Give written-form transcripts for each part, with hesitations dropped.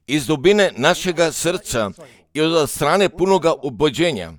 iz dubine našega srca i od strane punoga ubođenja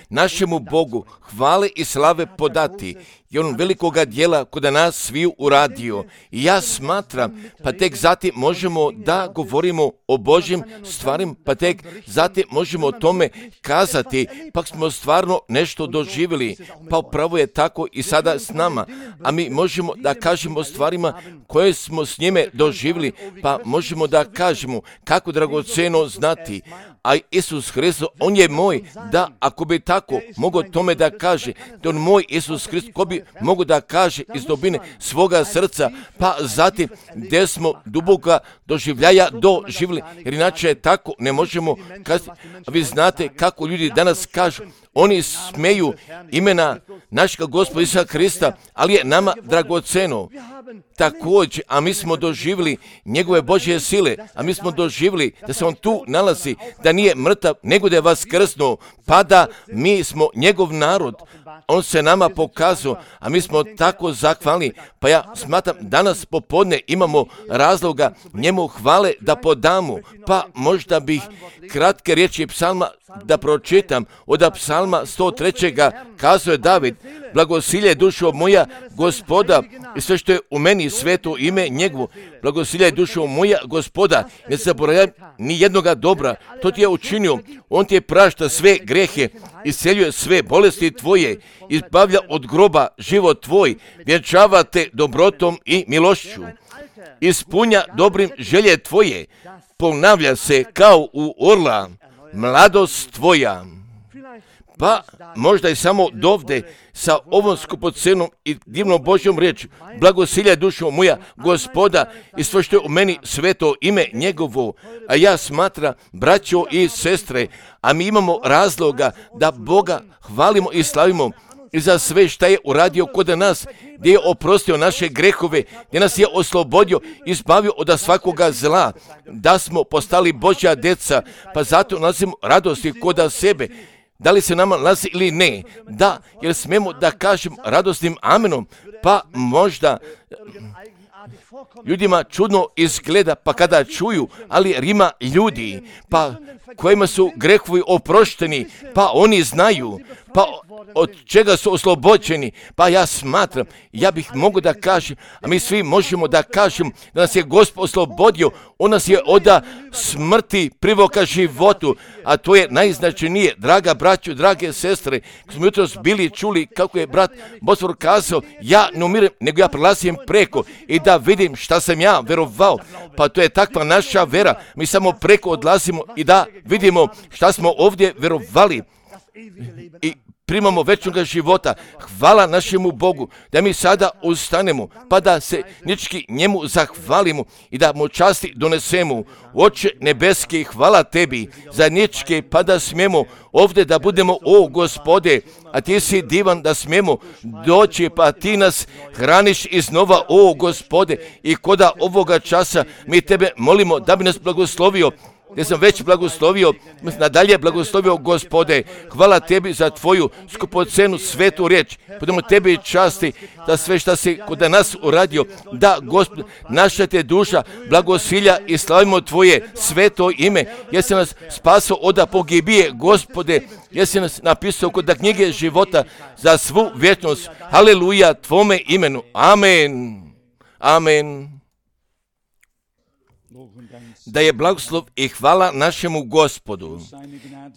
našemu Bogu hvale i slave podati i on velikoga djela kod nas sviju uradio. I ja smatram, pa tek zatim možemo da govorimo o Božjim stvarima, pa tek zatim možemo o tome kazati, pa smo stvarno nešto doživjeli, pa upravo je tako i sada s nama, a mi možemo da kažemo o stvarima koje smo s njime doživjeli, pa možemo da kažemo kako dragoceno znati, a Isus Hristos, on je moj, da ako bi tako mogao tome da kaže, da on moj Isus Hristos, ko bi mogu da kaže iz dubine svoga srca, pa zatim gdje smo duboka doživljaja doživjeli, jer inače tako ne možemo kazati. A vi znate kako ljudi danas kažu, oni smeju imena našega Gospoda Isusa Krista, ali je nama dragoceno. Također, a mi smo doživjeli njegove Božje sile, a mi smo doživjeli da se on tu nalazi, da nije mrtav, nego da je vaskrsnuo, pa da mi smo njegov narod. On se nama pokazao, a mi smo tako zahvalni, pa ja smatram danas popodne imamo razloga njemu hvale da podamo, pa možda bih kratke riječi psalma da pročitam. Od psalma 103. kazao je David, blagosilje dušo moja Gospoda i sve što je u meni sveto ime njegovo. Blagosilje dušo moja Gospoda, ne zaboravljaj ni jednoga dobra, to ti je učinio, on ti je prašta sve grehe, isceljuje sve bolesti tvoje, izbavlja od groba život tvoj, vjenčava te dobrotom i milošću, ispunja dobrim želje tvoje, ponavlja se kao u orla, mladost tvoja. Pa možda i samo dovde sa ovom skupocenom i divnom Božjom riječi, blagosilje dušo moja Gospoda i sve što je u meni sveto ime njegovo. A ja smatram, braćo i sestre, a mi imamo razloga da Boga hvalimo i slavimo i za sve što je uradio kod nas, gdje je oprostio naše grehove, gdje nas je oslobodio, izbavio od svakoga zla, da smo postali Božja djeca, pa zato nalazimo radosti kod sebe. Da li se nama nalazi ili ne? Da, jer smemo da kažem radosnim amenom, pa možda ljudima čudno izgleda, pa kada čuju, ali ima ljudi, pa kojima su grehovi oprošteni, pa oni znaju, pa od čega su oslobođeni, pa ja smatram, ja bih mogao da kažem, a mi svi možemo da kažem da nas je Gospod oslobodio, on nas je od smrti privoka životu, a to je najznačajnije, draga braćo, drage sestre, kad smo jutros bili čuli kako je brat Bosfor kazao, ja ne umirem, nego ja prelazim preko i da vidim šta sam ja verovao, pa to je takva naša vera, mi samo preko odlazimo i da vidimo šta smo ovdje verovali i primamo večnoga života. Hvala našemu Bogu da mi sada ustanemo, pa da se nički njemu zahvalimo i da mu časti donesemo. Oče nebeski, hvala tebi za ničke, pa da smijemo ovdje da budemo, o Gospode, a ti si divan da smijemo doći, pa ti nas hraniš iznova, o Gospode, i koda ovoga časa mi tebe molimo da bi nas blagoslovio, gdje sam već blagoslovio, nadalje blagoslovio, Gospode. Hvala tebi za tvoju skupocenu svetu riječ. Budemo tebi časti da sve što si kod nas uradio, da, Gospod, naša te duša blagosilja i slavimo tvoje sveto ime. Jesi nas spasao od pogibije, Gospode, jesi nas napisao kod knjige života za svu vječnost. Haleluja tvome imenu. Amen. Amen. Da je blagoslov i hvala našemu Gospodu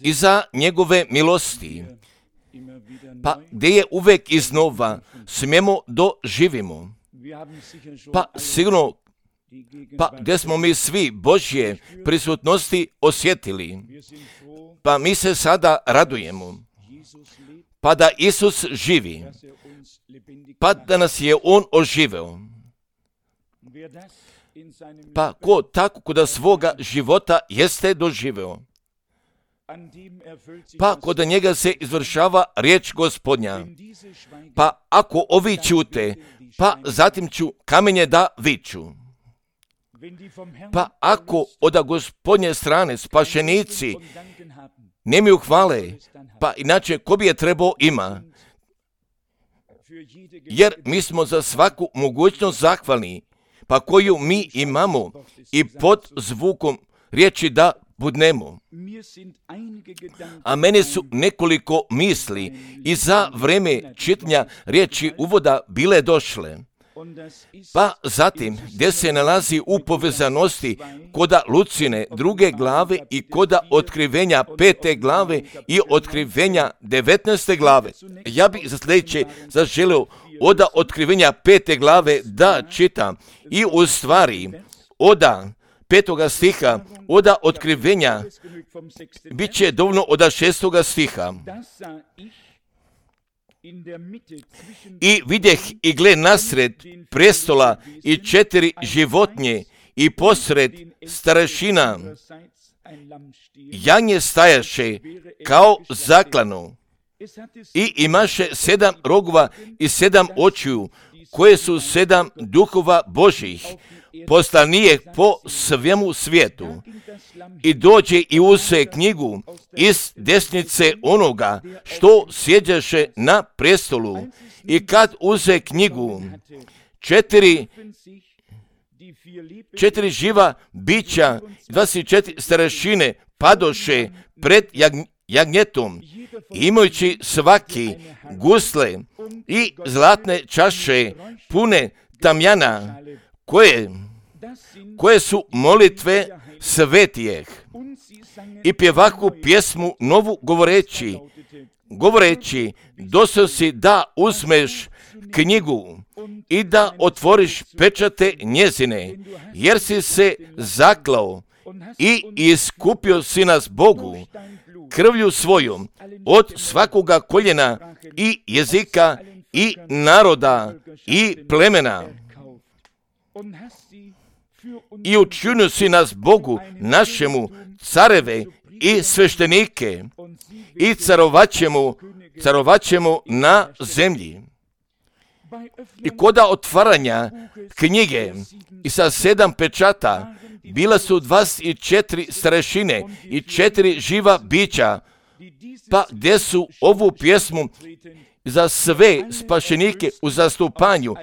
i za njegove milosti, pa gdje je uvek iznova smijemo doživimo, pa sigurno, pa gdje smo mi svi Božje prisutnosti osjetili, pa mi se sada radujemo, pa da Isus živi, pa da nas je On oživeo. Pa ko tako kod svoga života jeste doživeo, pa kod njega se izvršava riječ Gospodnja. Pa ako ovi ćute, pa zatim ću kamenje da viču. Pa ako od Gospodnje strane spašenici nemaju hvale, pa inače ko bi je trebao ima? Jer mi smo za svaku mogućnost zahvalni. pa koju mi imamo i pod zvukom riječi da budnemo. A mene su nekoliko misli i za vreme čitanja riječi uvoda bile došle. Pa zatim, gdje se nalazi u povezanosti koda Lucine 2. glave i koda otkrivenja 5. glave i otkrivenja 19. glave. Ja bih za sljedeće zaželio od otkrivenja 5. glave da čitam i u stvari od 5. stiha, od otkrivenja bit će dovoljno od 6. stiha. I vidjeh i gle nasred prestola i 4 životinje i posred starešina janje stajaše kao zaklano i imaše 7 rogova i 7 očiju koje su 7 duhova Božih poslanijeh po svemu svijetu. I dođe i uze knjigu iz desnice onoga što sjeđaše na prestolu. I kad uze knjigu, 4 živa bića, 24 starešine padoše pred jagnjetom, imajući svaki gusle i zlatne čaše pune tamjana, koje su molitve svetijeh. I pjevaku pjesmu novu govoreći, došao si da uzmeš knjigu i da otvoriš pečate njezine, jer si se zaklao i iskupio si nas Bogu krvlju svojom od svakoga koljena i jezika i naroda i plemena. I učinio si nas Bogu našemu careve i sveštenike i carovaćemo na zemlji. I koda otvaranja knjige i sa 7 pečata bila su 24 starešine i 4 živa bića, pa gdje su ovu pjesmu za sve spašenike u zastupanju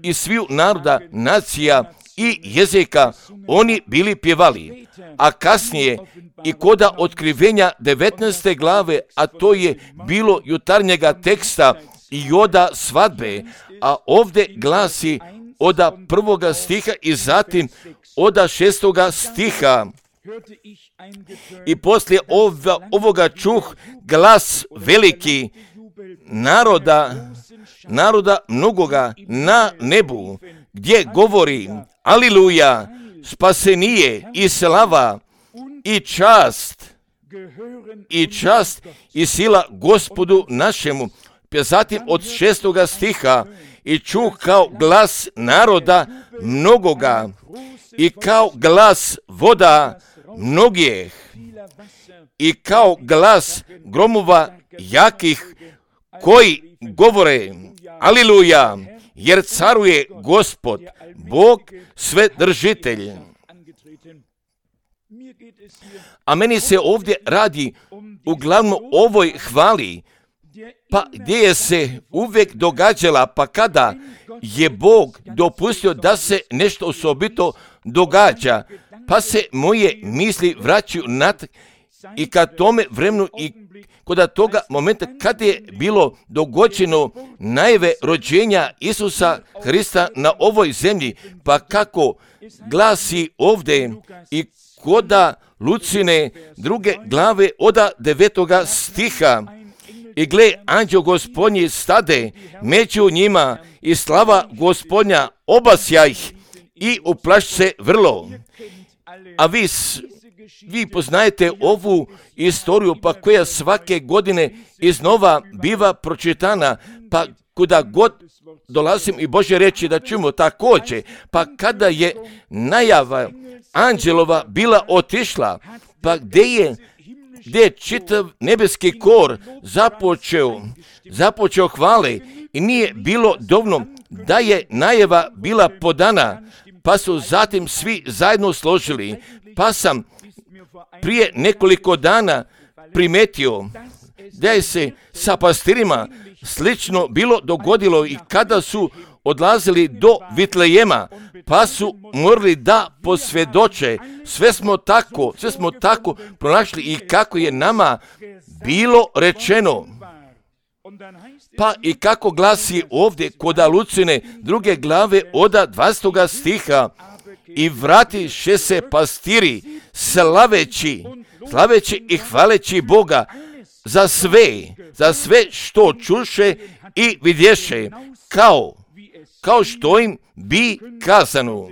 i sviju naroda, nacija i jezika oni bili pjevali. A kasnije i koda otkrivenja 19. glave, a to je bilo jutarnjega teksta i oda svadbe, a ovdje glasi od 1. stiha i zatim od 6. stiha. I poslije ovoga čuh glas veliki naroda mnogoga na nebu, gdje govori: Aliluja, spasenije i slava i čast i sila Gospodu našemu. Zatim od 6. stiha i čuh kao glas naroda mnogoga i kao glas voda mnogih i kao glas gromova jakih koji govore: Aliluja, jer caruje Gospod, Bog svedržitelj. A meni se ovdje radi uglavnom ovoj hvali, pa gdje je se uvijek događala, pa kada je Bog dopustio da se nešto osobito događa, pa se moje misli vraćaju i ka tome vremenu i kod toga momenta kad je bilo dogođeno najave rođenja Isusa Hrista na ovoj zemlji, pa kako glasi ovdje i koda Lucine 2. glave od 9. stiha. I gle, anđeo Gospodnji stade među njima i slava Gospodnja obasja ih i uplaši se vrlo. A vi poznajete ovu istoriju, pa koja svake godine iznova biva pročitana, pa kuda god dolazim i Božje reći da čujemo također, pa kada je najava anđelova bila otišla, pa gdje je čitav nebeski kor započeo hvale i nije bilo dovoljno da je najava bila podana, pa su zatim svi zajedno složili, pa sam prije nekoliko dana primetio da je se sa pastirima slično bilo dogodilo i kada su odlazili do Vitlejema, pa su morali da posvjedoče. Sve smo tako pronašli i kako je nama bilo rečeno. Pa i kako glasi ovdje kod Lucine 2. glave od 20. stiha, i vratiše se pastiri slaveći i hvaleći Boga za sve što čuše i vidješe, kao što im bi kazano.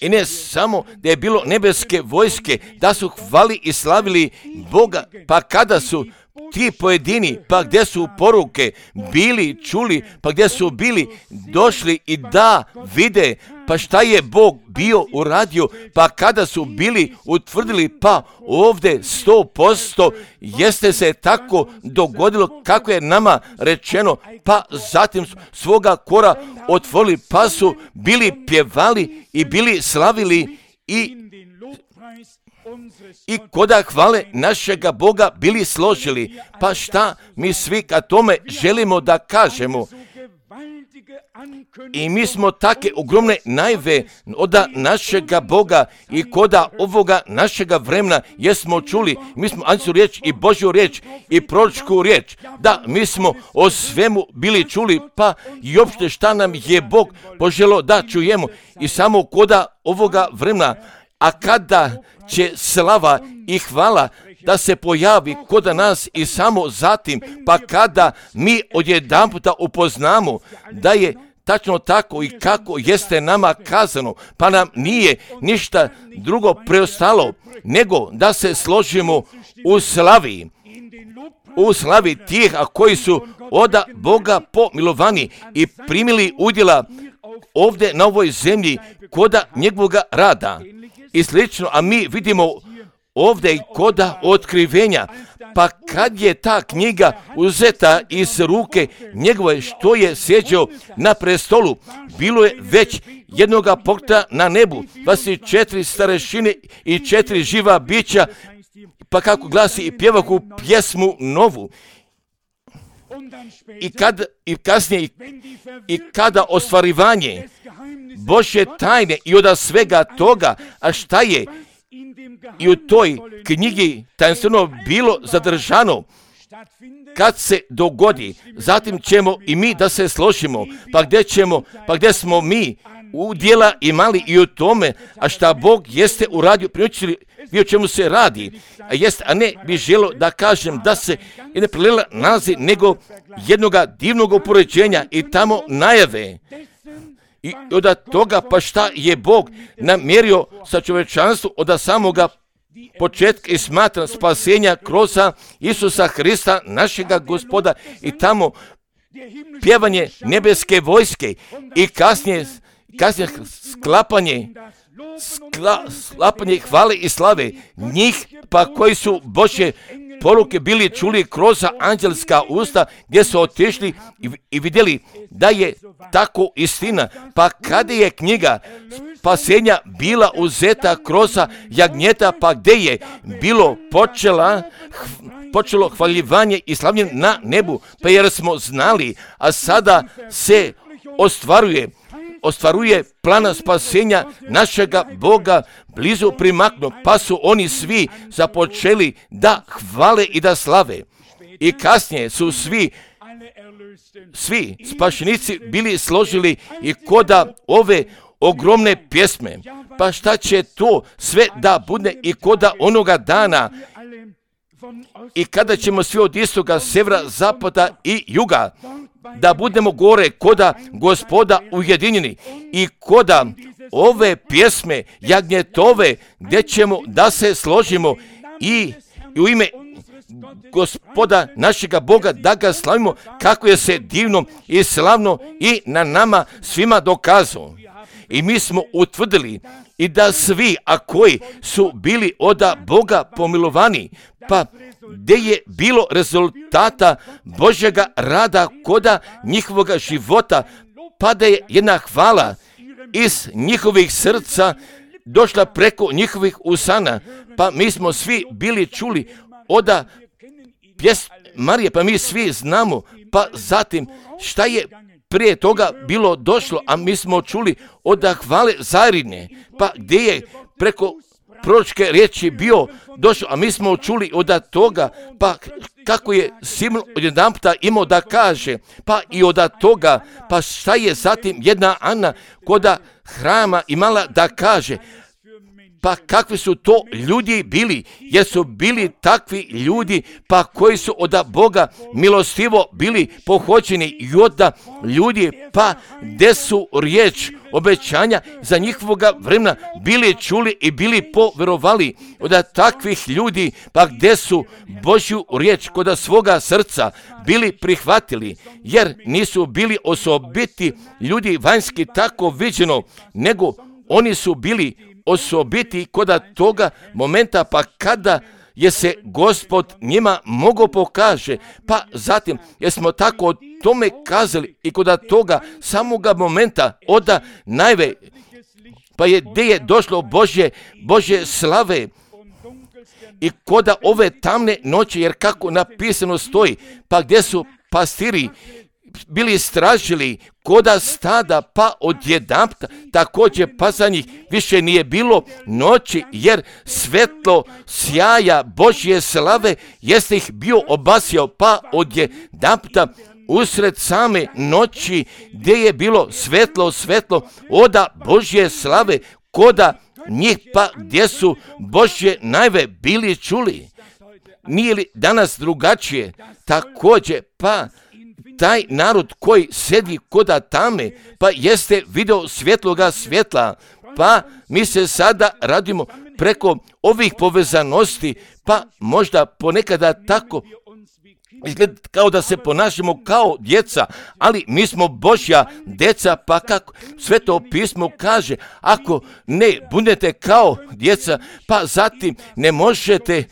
I ne samo da je bilo nebeske vojske, da su hvali i slavili Boga, pa kada su ti pojedini, pa gdje su poruke bili čuli, pa gdje su bili došli i da vide, pa šta je Bog bio uradio, pa kada su bili utvrdili, pa ovdje 100% jeste se tako dogodilo kako je nama rečeno, pa zatim svoga kora otvorili, pa su bili pjevali i bili slavili i koda hvale našega Boga bili složili. Pa šta mi svi ka tome želimo da kažemo? I mi smo take ogromne najave od našega Boga i koda ovoga našega vremena jesmo čuli. Mi smo anđelsku riječ i Božju riječ i proročku riječ. Da, mi smo o svemu bili čuli, pa i uopšte šta nam je Bog poželo da čujemo. I samo koda ovoga vremena, a kada će slava i hvala da se pojavi kod nas i samo zatim, pa kada mi odjedanputa upoznamo da je tačno tako i kako jeste nama kazano, pa nam nije ništa drugo preostalo nego da se složimo u slavi tih koji su od Boga pomilovani i primili udjela ovdje na ovoj zemlji koda njegovoga rada i slično, a mi vidimo ovdje i koda otkrivenja, pa kad je ta knjiga uzeta iz ruke njegove što je sjeđao na prestolu, bilo je već jednoga pokreta na nebu, 24 starešine i 4 živa bića, pa kako glasi i pjevaku pjesmu novu. I kasnije i kada ostvarivanje Božje tajne i od svega toga, a šta je i u toj knjigi tajnstveno bilo zadržano, kad se dogodi, zatim ćemo i mi da se složimo, pa gdje smo mi udjela imali i u tome, a šta Bog jeste uradio, priučili vi o čemu se radi, a ne bi želo da kažem da se ne prelela nalazi nego jednoga divnog upoređenja i tamo najave. I od toga pa šta je Bog namjerio sa čovječanstvom od samoga početka i smatra spasenja kroz Isusa Hrista, našega Gospoda, i tamo pjevanje nebeske vojske i kasnije sklapanje hvale i slave njih, pa koji su Božje poruke bili čuli kroz anđelska usta, gdje su otišli i vidjeli da je tako istina. Pa kada je knjiga spasenja bila uzeta kroz jagnjeta, pa gdje je bilo počelo hvaljivanje i slavljenje na nebu, pa jer smo znali, a sada se ostvaruje plana spasenja našega Boga blizu primaknu, pa su oni svi započeli da hvale i da slave. I kasnije su svi spašenici bili složili i koda ove ogromne pjesme. Pa šta će to sve da bude i koda onoga dana i kada ćemo svi od istoga, severa, zapada i juga da budemo gore koda Gospoda ujedinjeni i koda ove pjesme jagnjetove gdje ćemo da se složimo i u ime Gospoda našega Boga da ga slavimo kako je se divno i slavno i na nama svima dokazao. I mi smo utvrdili i da svi, a koji su bili od Boga pomilovani, pa gdje je bilo rezultata Božjega rada koda njihovoga života, pa da je jedna hvala iz njihovih srca došla preko njihovih usana, pa mi smo svi bili čuli od Marije, pa mi svi znamo, pa zatim šta je prije toga bilo došlo, a mi smo čuli od hvale Zairine, pa gdje je preko proročke riječi bio došao, a mi smo čuli od toga, pa kako je Simon odjedanputa imao da kaže, pa i od toga, pa šta je zatim jedna Ana koda hrama imala da kaže, pa kakvi su to ljudi bili, jer su bili takvi ljudi, pa koji su od Boga milostivo bili pohođeni i od ljudi, pa gdje su riječ obećanja za njihovoga vremena bili čuli i bili poverovali od takvih ljudi, pa gdje su Božju riječ kod svoga srca bili prihvatili, jer nisu bili osobiti ljudi vanjski tako viđeno, nego oni su bili osobiti kod toga momenta, pa kada je se Gospod njima mogao pokaže, pa zatim jer smo tako o tome kazali i kod toga samoga momenta od najve, pa je gdje je došlo Božje slave i kod ove tamne noći, jer kako napisano stoji, pa gdje su pastiri bili stražili koda stada, pa odjedanputa također pa za njih više nije bilo noći, jer svetlo sjaja Božje slave jeste ih bio obasjao, pa odjedanputa usred same noći gdje je bilo svetlo oda Božje slave koda njih, pa gdje su Božje najve bili čuli. Nije li danas drugačije? Također, pa taj narod koji sedi koda tame, pa jeste video svjetloga svjetla, pa mi se sada radimo preko ovih povezanosti, pa možda ponekada tako izgleda kao da se ponašamo kao djeca, ali mi smo Božja djeca, pa kako Sveto pismo kaže, ako ne budete kao djeca, pa zatim ne možete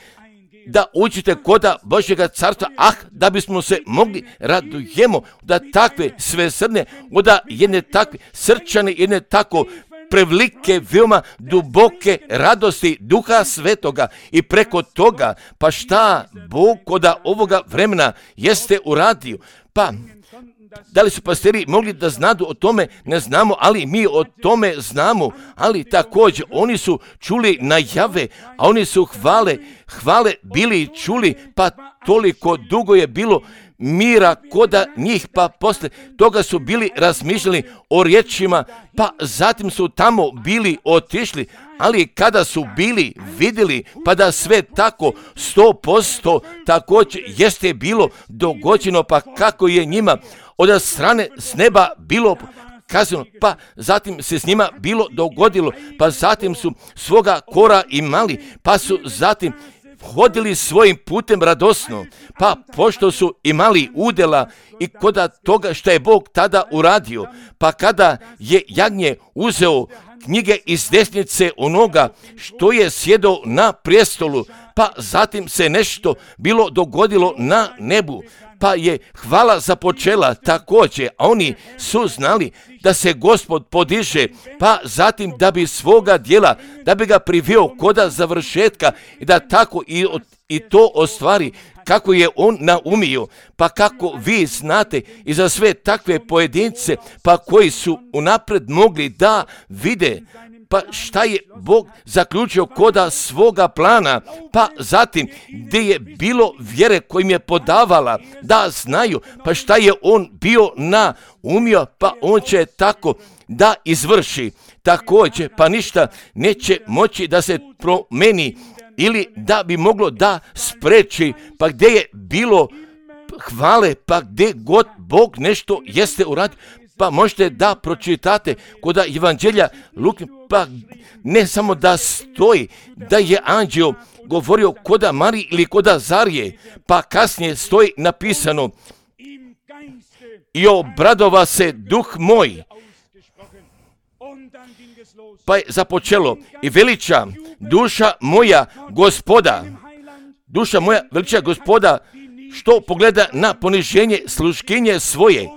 da uđete koda Božjega carstva, da bismo se mogli radujemo da takve svesrdne, da jedne takve srčane, jedne tako prevelike, veoma duboke radosti Duha Svetoga i preko toga, pa šta Bog koda ovoga vremena jeste uradio, pa da li su pastiri mogli da znadu o tome, ne znamo, ali mi o tome znamo, ali također oni su čuli najave, a oni su hvale bili čuli, pa toliko dugo je bilo mira koda njih, pa posle toga su bili razmišljali o riječima, pa zatim su tamo bili otišli, ali kada su bili vidjeli, pa da sve tako 100% također jeste bilo dogođeno, pa kako je njima od strane s neba bilo kazano, pa zatim se s njima bilo dogodilo, pa zatim su svoga kora imali, pa su zatim hodili svojim putem radosno, pa pošto su imali udjela i koda toga što je Bog tada uradio, pa kada je jagnje uzeo knjige iz desnice onoga što je sjedao na prijestolu, pa zatim se nešto bilo dogodilo na nebu, pa je hvala započela također, a oni su znali da se Gospod podiže, pa zatim da bi svoga djela, da bi ga priveo koda završetka i da tako i to ostvari kako je on naumio, pa kako vi znate i za sve takve pojedince, pa koji su unapred mogli da vide, pa šta je Bog zaključio koda svoga plana, pa zatim gdje je bilo vjere kojim je podavala da znaju, pa šta je on bio naumio, pa on će tako da izvrši. Također, pa ništa neće moći da se promeni ili da bi moglo da spreči, pa gdje je bilo hvale, pa gdje god Bog nešto jeste uradio, pa možete da pročitate kod Evanđelja Luke, pa ne samo da stoji da je anđeo govorio koda Mariji ili koda Zarije, pa kasnije stoji napisano i obradova se duh moj, pa je započelo i veliča duša moja Gospoda, duša moja veliča Gospoda, što pogleda na poniženje sluškinje svoje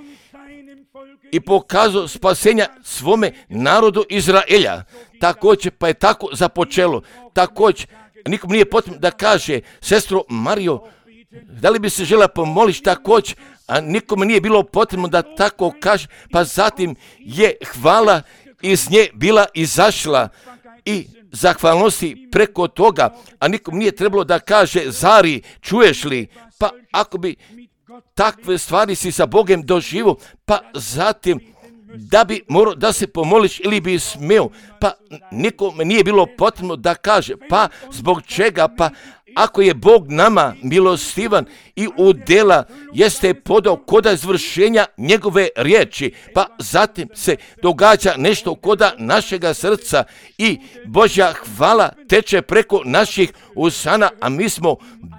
i pokazao spasenja svome narodu Izraelja. Također, pa je tako započelo. Također, nikom nije potrebno da kaže, sestro Marijo, Da li bi se žela pomoliti također, a nikome nije bilo potrebno da tako kaže, pa zatim je hvala iz nje bila izašla i zahvalnosti preko toga, a nikom nije trebalo da kaže, Zari, čuješ li? Pa ako bi takve stvari si sa Bogom doživo, pa zatim da bi morao da se pomoliš ili bi smio, pa nikome nije bilo potrebno da kaže, pa zbog čega, pa ako je Bog nama milostivan i u djela jeste podao koda izvršenja njegove riječi, pa zatim se događa nešto koda našega srca i Božja hvala teče preko naših usana, a mi smo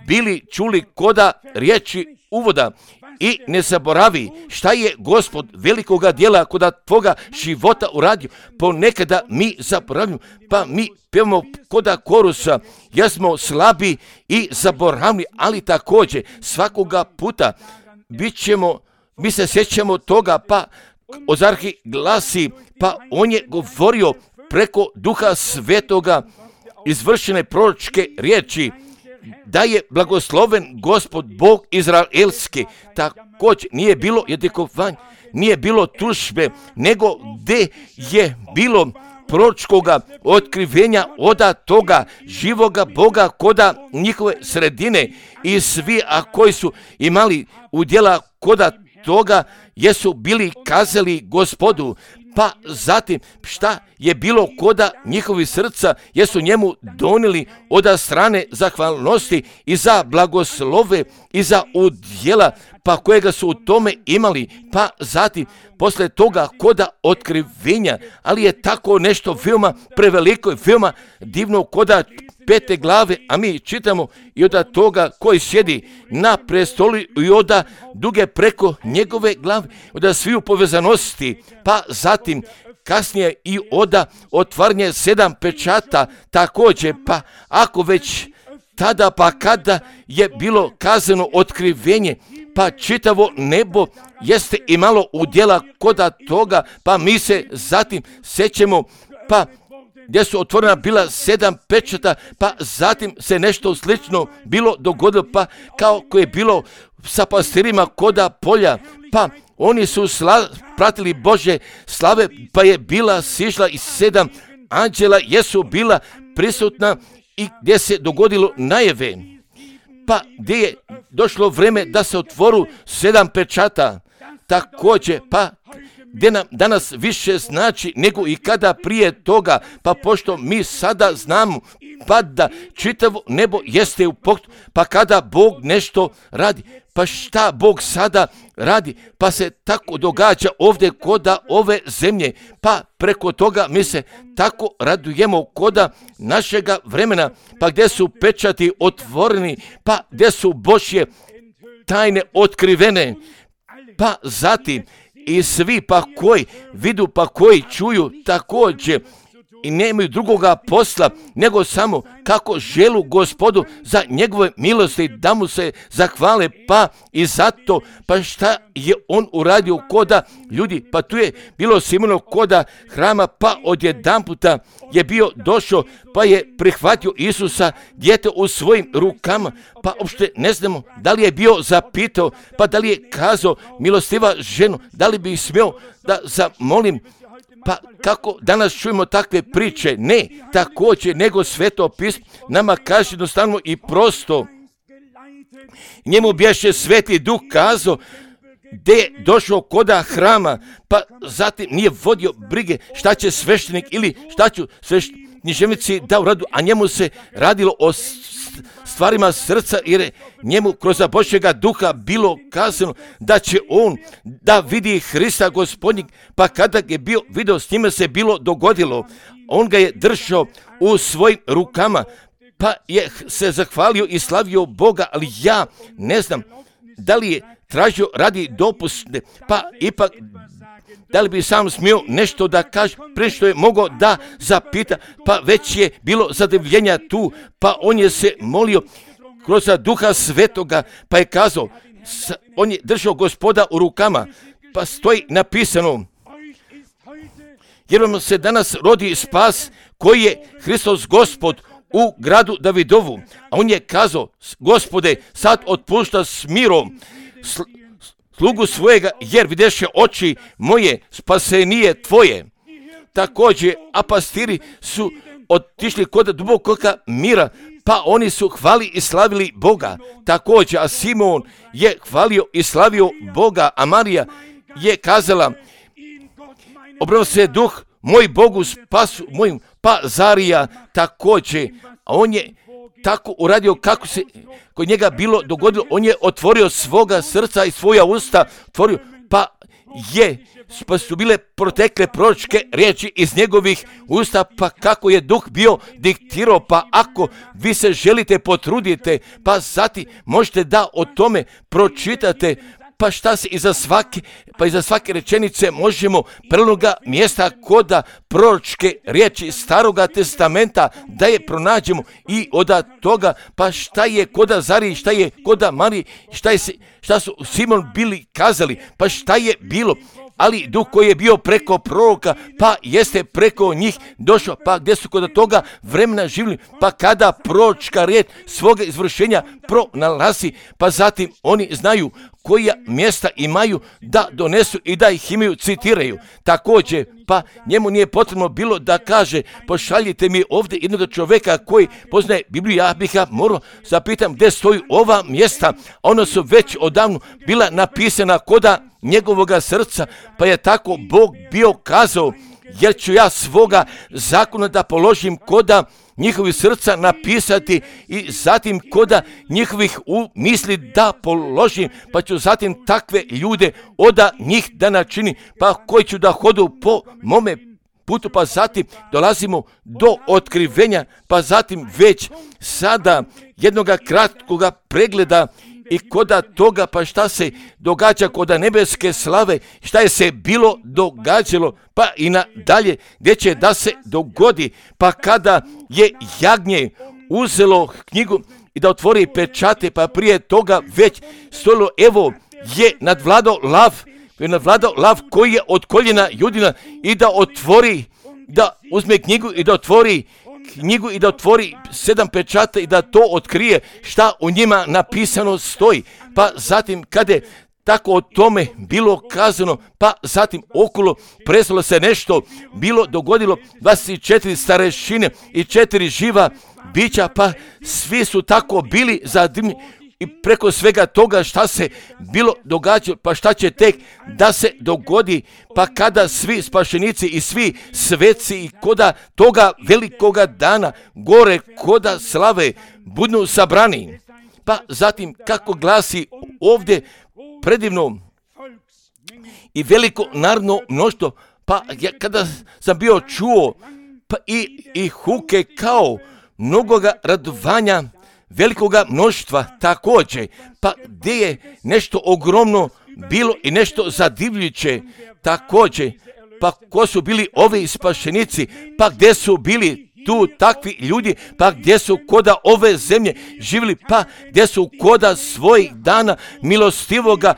bili čuli koda riječi uvoda. I ne zaboravi šta je Gospod velikoga djela koda tvoga života uradio. Ponekada mi zaboravimo, pa mi pevamo koda korusa, jer smo slabi i zaboravni, ali također svakoga puta mi se sjećamo toga, pa Ozarhi glasi, pa on je govorio preko Duha Svetoga izvršene proročke riječi, da je blagosloven Gospod Bog Izraelski. Također nije bilo jedikovanja, nije bilo tužbe, nego gdje je bilo proročkoga otkrivenja oda toga živoga Boga koda njihove sredine i svi, a koji su imali udjela koda toga, jesu bili kazali Gospodu. Pa zatim šta je bilo koda njihovi srca, jesu njemu donijeli oda strane zahvalnosti i za blagoslove i za udjela, pa kojega su u tome imali, pa zatim posle toga koda otkrivenja, ali je tako nešto veoma preveliko i veoma divno koda 5. glave, a mi čitamo i od toga koji sjedi na prestolu i od duge preko njegove glave, od sviju povezanosti, pa zatim kasnije i od otvaranje 7 pečata također, pa ako već tada pa kada je bilo kazano otkrivenje, pa čitavo nebo jeste imalo udjela koda toga, pa mi se zatim sećemo, pa gdje su otvorena bila 7 pečata, pa zatim se nešto slično bilo dogodilo, pa kao koje je bilo sa pastirima koda polja, pa oni su pratili Božje slave, pa je bila sišla i 7 anđela jesu bila prisutna i gdje se dogodilo najave, pa gdje je došlo vreme da se otvoru 7 pečata, također, pa gdje nam danas više znači nego i kada prije toga, pa pošto mi sada znamo pa da čitavo nebo jeste u pokretu, pa kada Bog nešto radi, pa šta Bog sada radi, pa se tako događa ovdje koda ove zemlje, pa preko toga mi se tako radujemo koda našega vremena, pa gdje su pečati otvoreni, pa gdje su Božje tajne otkrivene, pa zatim i svi pa koji vidu, pa koji čuju također i nemaju drugoga posla nego samo kako želu Gospodu za njegove milosti da mu se zahvale, pa i zato pa šta je on uradio koda ljudi, pa tu je bilo Simono koda hrama, pa odjedanputa je bio došao, pa je prihvatio Isusa dijete u svojim rukama, pa uopšte ne znamo da li je bio zapitao, pa da li je kazao milostiva ženo, da li bi smio da zamolim. Pa kako danas čujemo takve priče? Ne, također, nego Sveto pismo nama kaže jednostavno i prosto. Njemu bješe Sveti Duh kazao gdje je došao koda hrama, pa zatim nije vodio brige šta će sveštenik ili šta ću književnici da uradu, a njemu se radilo o stvarima srca, jer je njemu kroz Božjega Duha bilo kazano da će on da vidi Hrista Gospodnjeg, pa kada je bio video, s njime se bilo dogodilo. On ga je držao u svojim rukama, pa je se zahvalio i slavio Boga, ali ja ne znam da li je tražio radi dopusne, pa ipak da li bi sam smio nešto da kaže, prije što je mogao da zapita, pa već je bilo zadivljenja tu, pa on je se molio kroz Duha Svetoga, pa je kazao, on je držao Gospoda u rukama, pa stoji napisano, jer vam se danas rodi spas koji je Hristos Gospod u gradu Davidovu, a on je kazao, Gospode, sad otpušta s mirom slugu svojega, jer videše oči moje, spasenije tvoje. Također, a pastiri su otišli kod dubokoga mira, pa oni su hvali i slavili Boga. Također, a Simon je hvalio i slavio Boga, a Marija je kazala, obrao se duh moj Bogu spasu mojim, pa Zarija također, a on je tako uradio kako se kod njega bilo dogodilo, on je otvorio svoga srca i svoja usta, otvorio, pa su bile protekle proročke riječi iz njegovih usta, pa kako je duh bio diktirao, pa ako vi se želite potrudite, pa zatim možete da o tome pročitate, pa šta se iza svake rečenice možemo prenoga mjesta koda proročke riječi Staroga testamenta da je pronađemo i od toga, pa šta je koda Zari, šta je koda Mariji, šta su Simon bili kazali, pa šta je bilo, ali duh koji je bio preko proroka, pa jeste preko njih došao, pa gdje su kod toga vremena živjeli, pa kada proročka riječ svoga izvršenja pronalazi, pa zatim oni znaju koja mjesta imaju da donesu i da ih imaju, citiraju. Također, pa njemu nije potrebno bilo da kaže, pošaljite mi ovdje jednog čovjeka koji poznaje Bibliju, ja bih ga morao zapitam gdje stoji ova mjesta, ona su već odavno bila napisana koda njegovoga srca, pa je tako Bog bio kazao, jer ću ja svoga zakona da položim koda njihovih srca napisati i zatim koda njihovih misli da položim, pa ću zatim takve ljude od njih da načini, pa koji ću da hodu po mome putu, pa zatim dolazimo do otkrivenja, pa zatim već sada jednoga kratkoga pregleda i koda toga, pa šta se događa koda nebeske slave, šta je se bilo događalo, pa i nadalje gdje će da se dogodi, pa kada je jagnje uzelo knjigu i da otvori pečate, pa prije toga već stojilo, evo je nadvladao lav koji je od koljena Judina i da otvori, da uzme knjigu i da otvori knjigu i da otvori 7 pečata i da to otkrije šta u njima napisano stoji. Pa zatim kada je tako o tome bilo kazano, pa zatim okolo presalo se nešto, bilo dogodilo 24 starešine i 4 živa bića, pa svi su tako bili zadivljeni i preko svega toga šta se bilo događalo, pa šta će tek da se dogodi, pa kada svi spašenici i svi sveci i koda toga velikoga dana gore koda slave budu sabrani. Pa zatim kako glasi ovdje predivno i veliko narodno mnoštvo, pa ja kada sam bio čuo pa i huke kao mnogoga radovanja velikoga mnoštva također, pa gdje je nešto ogromno bilo i nešto zadivljujuće također, pa ko su bili ovi spašenici, pa gdje su bili tu takvi ljudi, pa gdje su koda ove zemlje živjeli, pa gdje su koda svojih dana milostivoga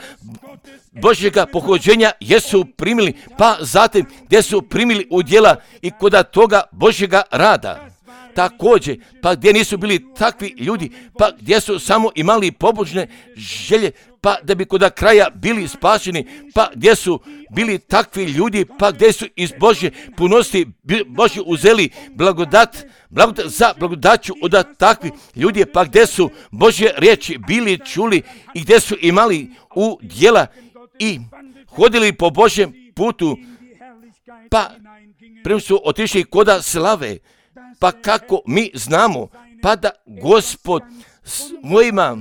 Božjega pohođenja jesu primili, pa zatim gdje su primili udjela i koda toga Božjega rada. Također, pa gdje nisu bili takvi ljudi, pa gdje su samo imali pobožne želje, pa da bi koda kraja bili spašeni, pa gdje su bili takvi ljudi, pa gdje su iz Božje punosti Božje uzeli blagodat za blagodaću od takvih ljudi, pa gdje su Božje riječi bili čuli i gdje su imali udjela i hodili po Božjem putu, pa prema su otišli koda slave. Pa kako mi znamo, pa da Gospod mojima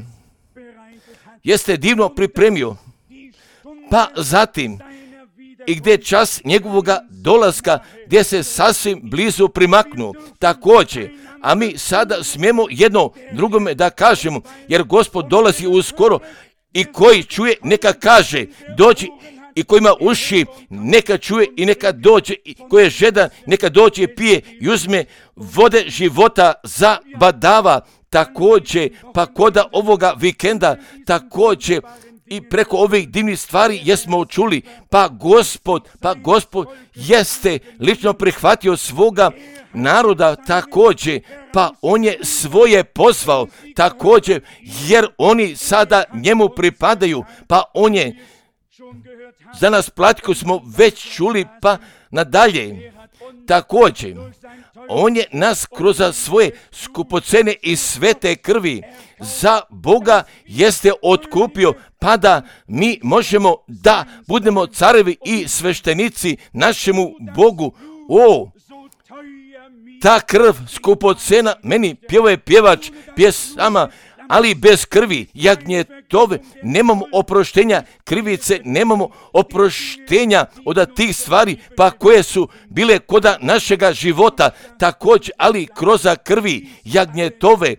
jeste divno pripremio, pa zatim i gdje čas njegovoga dolaska, gdje se sasvim blizu primaknu također, a mi sada smijemo jedno drugome da kažemo, jer Gospod dolazi uskoro i koji čuje neka kaže, dođi, i ko ima uši neka čuje i neka dođe, i ko je žedan neka dođe i pije i uzme vode života za badava također, pa koda ovoga vikenda također i preko ovih divnih stvari jesmo čuli, pa Gospod jeste lično prihvatio svoga naroda također, pa on je svoje pozvao također, jer oni sada njemu pripadaju, pa on je za nas platio, smo već čuli, pa nadalje. Također, on je nas kroz svoje skupocene i svete krvi za Boga jeste otkupio, pa da mi možemo da budemo carevi i sveštenici našemu Bogu. Ta krv skupocena, meni pjevao pjevač pjesama, ali bez krvi jagnjetove nemamo oproštenja krivice, nemamo oproštenja od tih stvari, pa koje su bile koda našega života također, ali kroz krvi jagnjetove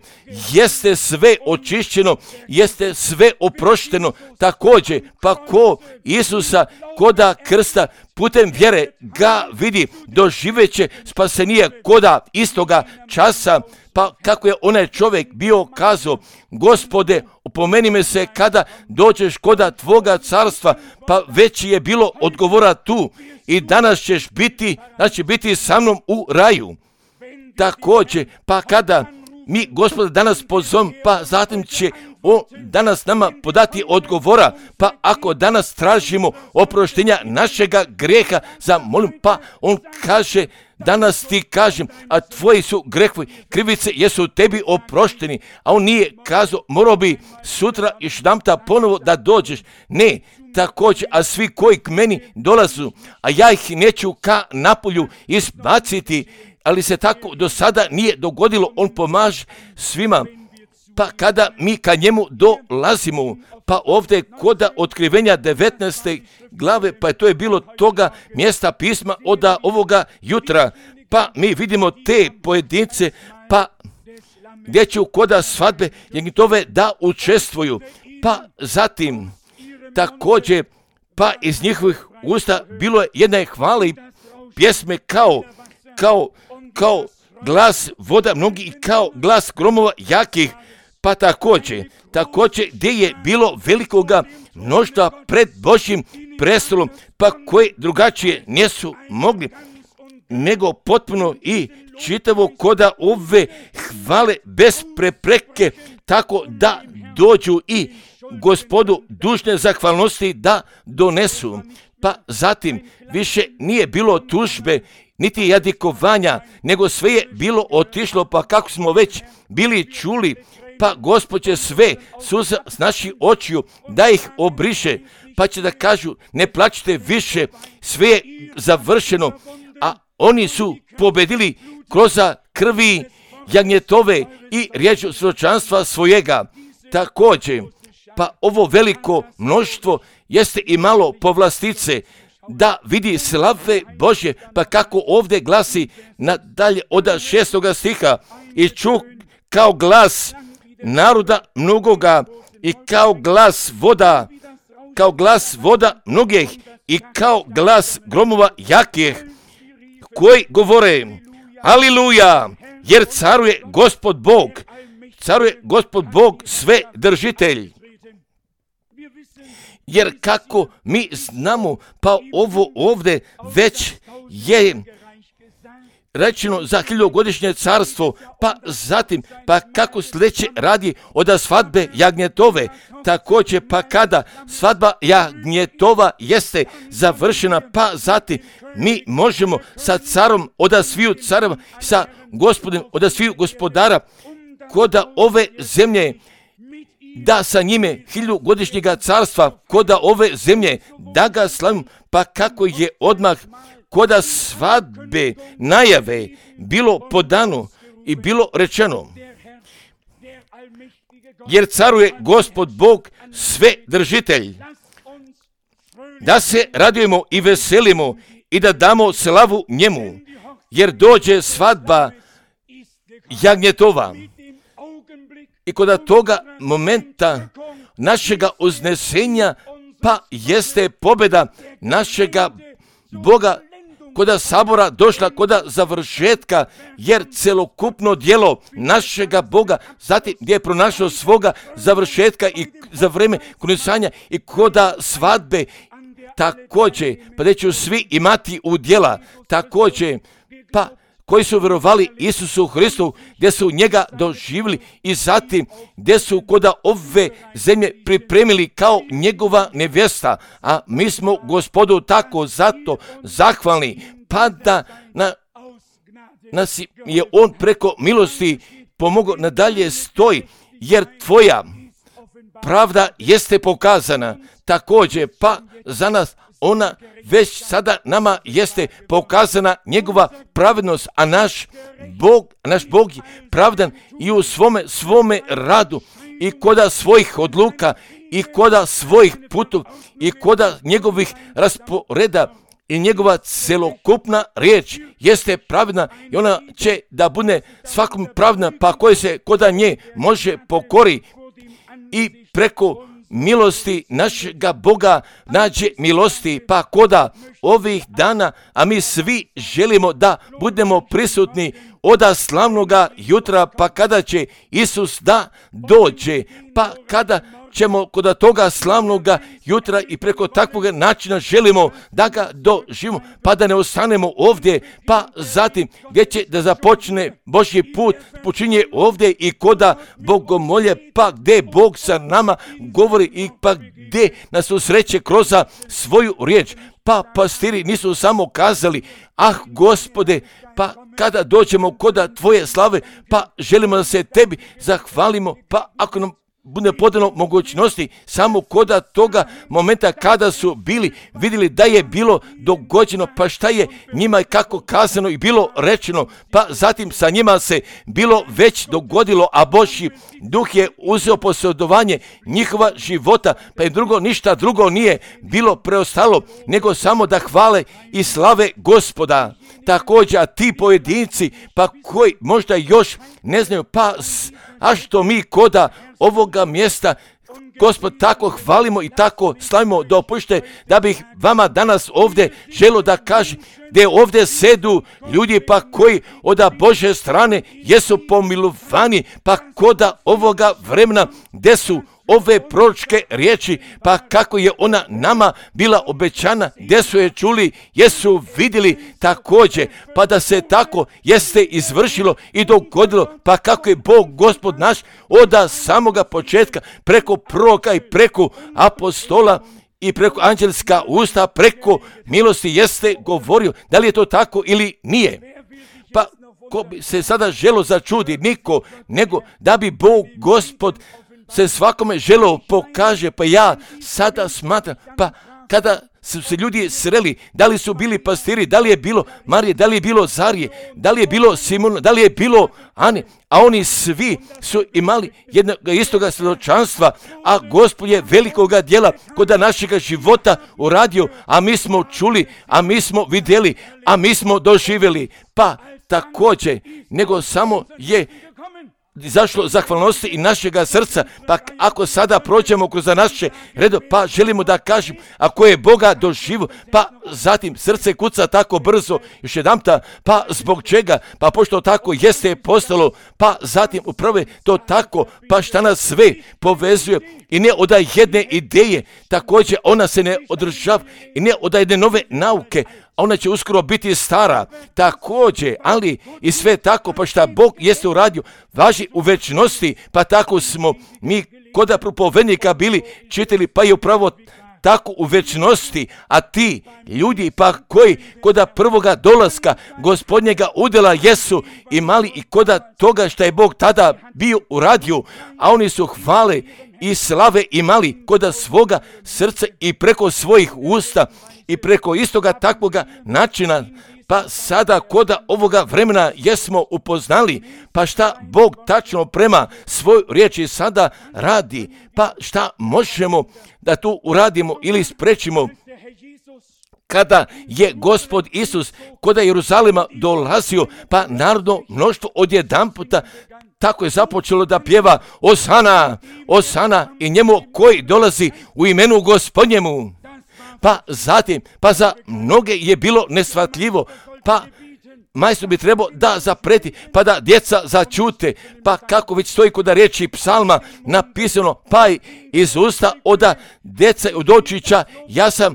jeste sve očišćeno, jeste sve oprošteno također, pa ko Isusa koda krsta putem vjere ga vidi, doživeće spasenije koda istoga časa. Pa kako je onaj čovjek bio kazao, Gospode, opomeni me se kada dođeš koda tvoga carstva, pa već je bilo odgovora tu i danas ćeš biti sa mnom u raju. Također, pa kada mi Gospoda danas pozovem, pa zatim će on danas nama podati odgovora, pa ako danas tražimo oproštenja našega grijeha, zamolim, pa on kaže, danas ti kažem, a tvoji su grehovi, krivice jesu tebi oprošteni, a on nije kazao, morao bi sutra još jedanputa ponovo da dođeš. Ne, također, a svi koji k meni dolazu, a ja ih neću ka napolju izbaciti, ali se tako do sada nije dogodilo, on pomaže svima. Pa kada mi ka njemu dolazimo, pa ovdje koda otkrivenja 19. glave, pa to je bilo toga mjesta pisma od ovoga jutra, pa mi vidimo te pojedince, pa gdje će koda svadbe jagnjetove da učestvuju, pa zatim također, pa iz njihovih usta bilo je jedne hvale i pjesme kao glas voda mnogi i kao glas gromova jakih, pa također gdje je bilo velikoga mnoštva pred Božjim prestolom, pa koje drugačije nisu mogli nego potpuno i čitavo koda ove hvale bez prepreke, tako da dođu i Gospodu dužne zahvalnosti da donesu. Pa zatim više nije bilo tužbe niti jadikovanja, nego sve je bilo otišlo, pa kako smo već bili čuli, pa Gospod će sve suza s naših očiju da ih obriše, pa će da kažu, ne plačite više, sve je završeno, a oni su pobedili kroz krvi jagnjetove i riječju svjedočanstva svojega. Također, pa ovo veliko mnoštvo jeste imalo povlastice da vidi slave Božje, pa kako ovdje glasi nadalje od 6. stiha, i čuh kao glas naroda mnogoga i kao glas voda mnogih i kao glas gromova jakih, koji govore, Aliluja, jer caruje Gospod Bog sve držitelj. Jer kako mi znamo, pa ovo ovdje već je rečeno za 1000-godišnje carstvo, pa zatim, pa kako sljedeće radi od svadbe jagnjetove, također pa kada svadba jagnjetova jeste završena, pa zatim mi možemo sa carom od sviju careva, sa gospodem od sviju gospodara, koda ove zemlje, da sa njime 1000-godišnjega carstva, koda ove zemlje, da ga slavim, pa kako je odmah koda svadbe najave bilo podano i bilo rečeno, jer caruje Gospod Bog sve držitelj, da se radujemo i veselimo i da damo slavu njemu, jer dođe svadba jagnjetova. I kod toga momenta našega uznesenja, pa jeste pobjeda našega Boga koda sabora došla koda završetka, jer celokupno djelo našega Boga, zatim gdje je pronašao svoga završetka i za vreme krunisanja i koda svadbe, također, pa da će svi imati udjela, također, pa koji su vjerovali Isusu Hristu, gdje su njega doživjeli i zatim gdje su koda ove zemlje pripremili kao njegova nevjesta, a mi smo Gospodu tako zato zahvalni, pa da nas je on preko milosti pomogao nadalje stoji, jer tvoja pravda jeste pokazana, također pa za nas ona već sada nama jeste pokazana njegova pravednost, a naš Bog je pravdan i u svome radu i koda svojih odluka i koda svojih putov i koda njegovih rasporeda i njegova celokupna riječ jeste pravedna i ona će da bude svakom pravedna, pa koji se koda nje može pokori i preko milosti našega Boga nađe milosti, pa koda ovih dana, a mi svi želimo da budemo prisutni oda slavnoga jutra, pa kada će Isus da dođe, pa kada ćemo kod toga slavnoga jutra i preko takvog načina želimo da ga doživimo, pa da ne ostanemo ovdje, pa zatim gdje će da započne Božji put, počinje ovdje i koda bogomolje, pa gdje Bog sa nama govori i pa gdje nas susreće kroz svoju riječ. Pa pastiri nisu samo kazali, Gospode, pa kada dođemo koda tvoje slave, pa želimo da se tebi zahvalimo, pa ako nam bude podano mogućnosti samo koda toga momenta kada su vidjeli da je bilo dogođeno, pa šta je njima kako kazano i bilo rečeno, pa zatim sa njima se bilo već dogodilo, a Božji duh je uzeo posjedovanje njihova života, pa im ništa drugo nije bilo preostalo, nego samo da hvale i slave Gospoda. Također, a ti pojedinci, pa koji možda još ne znaju, pa a što mi koda ovoga mjesta, Gospod, tako hvalimo i tako slavimo, dopušte da bih vama danas ovdje želio da kažem, gdje ovdje sedu ljudi pa koji od Bože strane jesu pomilovani, pa koda ovoga vremena gdje su ove proročke riječi, pa kako je ona nama bila obećana, gdje su je čuli, jesu vidjeli također, pa da se tako jeste izvršilo i dogodilo, pa kako je Bog Gospod naš od samoga početka preko proroka i preko apostola i preko anđelska usta, preko milosti jeste govorio. Da li je to tako ili nije? Pa ko bi se sada želo začudi, niko, nego da bi Bog Gospod se svakome želo pokaže, pa ja sada smatram, pa kada su se ljudi sreli, da li su bili pastiri, da li je bilo Marije, da li je bilo Zarije, da li je bilo Simona, da li je bilo Ane, a oni svi su imali jednog istoga svjedočanstva, a Gospod je velikoga djela kod našega života uradio, a mi smo čuli, a mi smo vidjeli, a mi smo doživjeli, pa također, nego samo je izašlo zahvalnosti i našega srca, pa ako sada prođemo kroz naše redo, pa želimo da kažem, ako je Boga doživio, pa zatim srce kuca tako brzo, još jedanputa, pa zbog čega, pa pošto tako jeste postalo, pa zatim upravo to tako, pa šta nas sve povezuje i ne od jedne ideje, također ona se ne održava i ne od jedne nove nauke, ona će uskoro biti stara, također, ali i sve tako, pa šta Bog jeste uradio, važi u večnosti, pa tako smo mi koda propovednika bili čitali, pa je upravo tako u večnosti, a ti ljudi pa koji koda prvoga dolaska Gospodnjega udjela jesu imali i koda toga što je Bog tada bio uradio, a oni su hvale i slave imali koda svoga srca i preko svojih usta i preko istoga takvoga načina, pa sada koda ovoga vremena jesmo upoznali, pa šta Bog tačno prema svoj riječi sada radi, pa šta možemo da tu uradimo ili sprečimo. Kada je Gospod Isus koda Jeruzalema dolazio, pa narodno mnoštvo odjedanputa tako je započelo da pjeva Osana, Osana i njemu koji dolazi u imenu Gospodnjemu. pa zatim, pa za mnoge je bilo neshvatljivo, pa majstor bi trebao da zapreti, pa da djeca začute, pa kako već stoji kod riječi psalma napisano, pa iz usta od djeca i od očića ja sam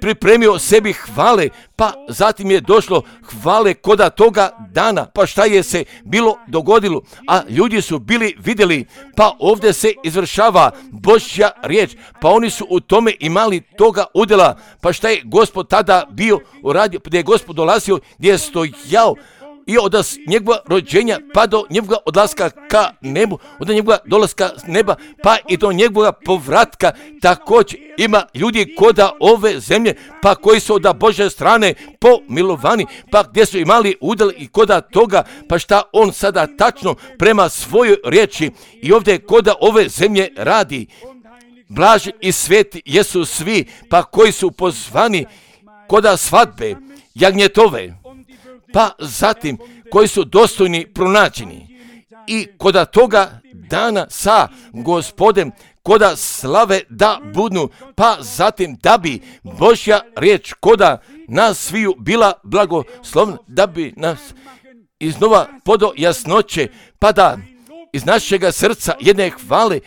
pripremio sebi hvale, pa zatim je došlo hvale koda toga dana, pa šta je se bilo dogodilo, a ljudi su bili vidjeli, pa ovdje se izvršava Božja riječ, pa oni su u tome imali toga udjela, pa šta je Gospod tada bio uradio, gdje je Gospod dolazio, gdje je stojao, i od njegova rođenja pa do njegova odlaska ka nebu, od njegova dolaska s neba pa i do njegova povratka, također ima ljudi koda ove zemlje, pa koji su od Božje strane pomilovani, pa gdje su imali udjel i koda toga, pa šta on sada tačno prema svojoj riječi i ovdje koda ove zemlje radi. Blaži i sveti jesu svi, pa koji su pozvani koda svadbe, jagnjetove, pa zatim koji su dostojni pronađeni i koda toga dana sa Gospodem, koda slave da budnu, pa zatim da bi Božja riječ koda nas sviju bila blagoslovna, da bi nas iznova podo jasnoće, pa da iz našega srca jedne hvale,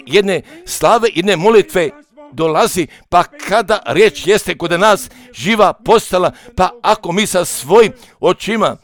jedne slave, jedne molitve dolazi, pa kada riječ jeste kod nas živa postala, pa ako mi sa svojim očima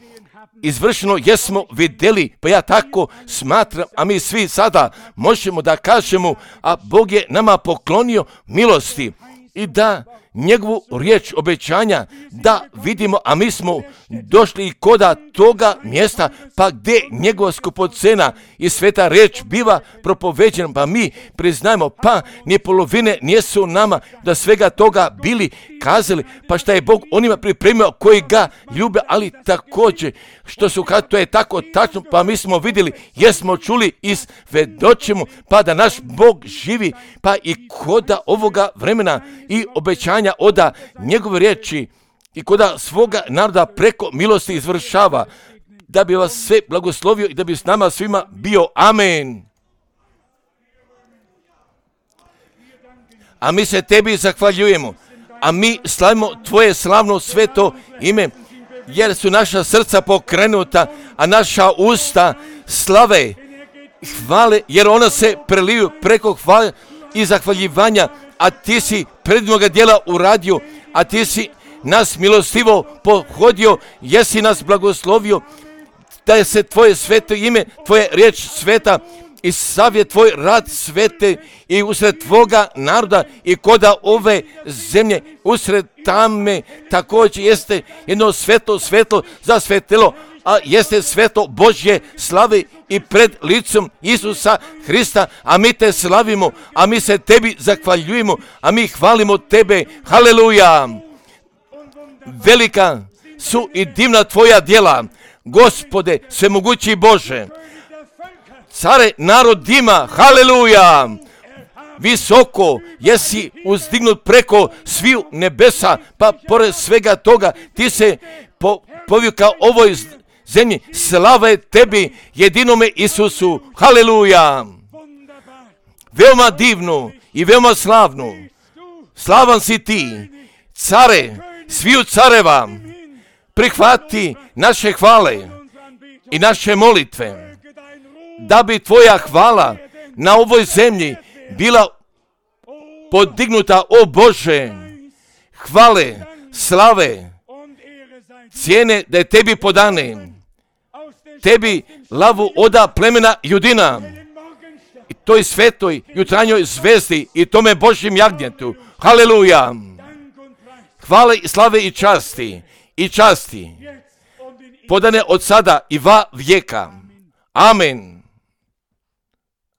izvršeno jesmo vidjeli, pa ja tako smatram, a mi svi sada možemo da kažemo, a Bog je nama poklonio milosti i da njegovu riječ obećanja da vidimo, a mi smo došli i koda toga mjesta, pa gdje njegova skupocena i sveta riječ biva propoveđena, pa mi priznajemo, pa ni polovine nijesu nama da svega toga bili kazali, pa šta je Bog onima pripremio koji ga ljube, ali također što su kad to je tako tačno, pa mi smo vidjeli, jesmo čuli i svedočimo, pa da naš Bog živi, pa i koda ovoga vremena i obećanja oda njegove riječi i koda svoga naroda preko milosti izvršava, da bi vas sve blagoslovio i da bi s nama svima bio. Amen. A mi se tebi zahvaljujemo, a mi slavimo tvoje slavno sveto ime, jer su naša srca pokrenuta, a naša usta slave, hvale, jer ona se preliju preko hvale i zahvaljivanja, a ti si predivnoga djela uradio, a ti si nas milostivo pohodio, jesi nas blagoslovio, da je se tvoje sveto ime, tvoje riječ sveta i savjet tvoj rad svete i usred tvoga naroda i koda ove zemlje, usred tame također jeste jedno svetlo zasvetilo, a jeste sveto Božje slave i pred licom Isusa Hrista, a mi te slavimo, a mi se tebi zahvaljujemo, a mi hvalimo tebe. Haleluja! Velika su i divna tvoja djela, Gospode, svemogući Bože. Care narodima, haleluja! Visoko jesi uzdignut preko sviju nebesa, pa pored svega toga ti se povika ovoj zemlji. Slava je tebi, jedinome Isusu, haleluja! Veoma divno i veoma slavno, slavan si ti, care, sviju careva, prihvati naše hvale i naše molitve, da bi tvoja hvala na ovoj zemlji bila podignuta, o Bože, hvale, slave, cijene da je tebi podane, tebi lavu oda plemena Judina, i toj svetoj jutranjoj zvezdi i tome Božjem jagnjetu, haleluja, hvale i slave i časti, podane od sada i va vijeka, amen.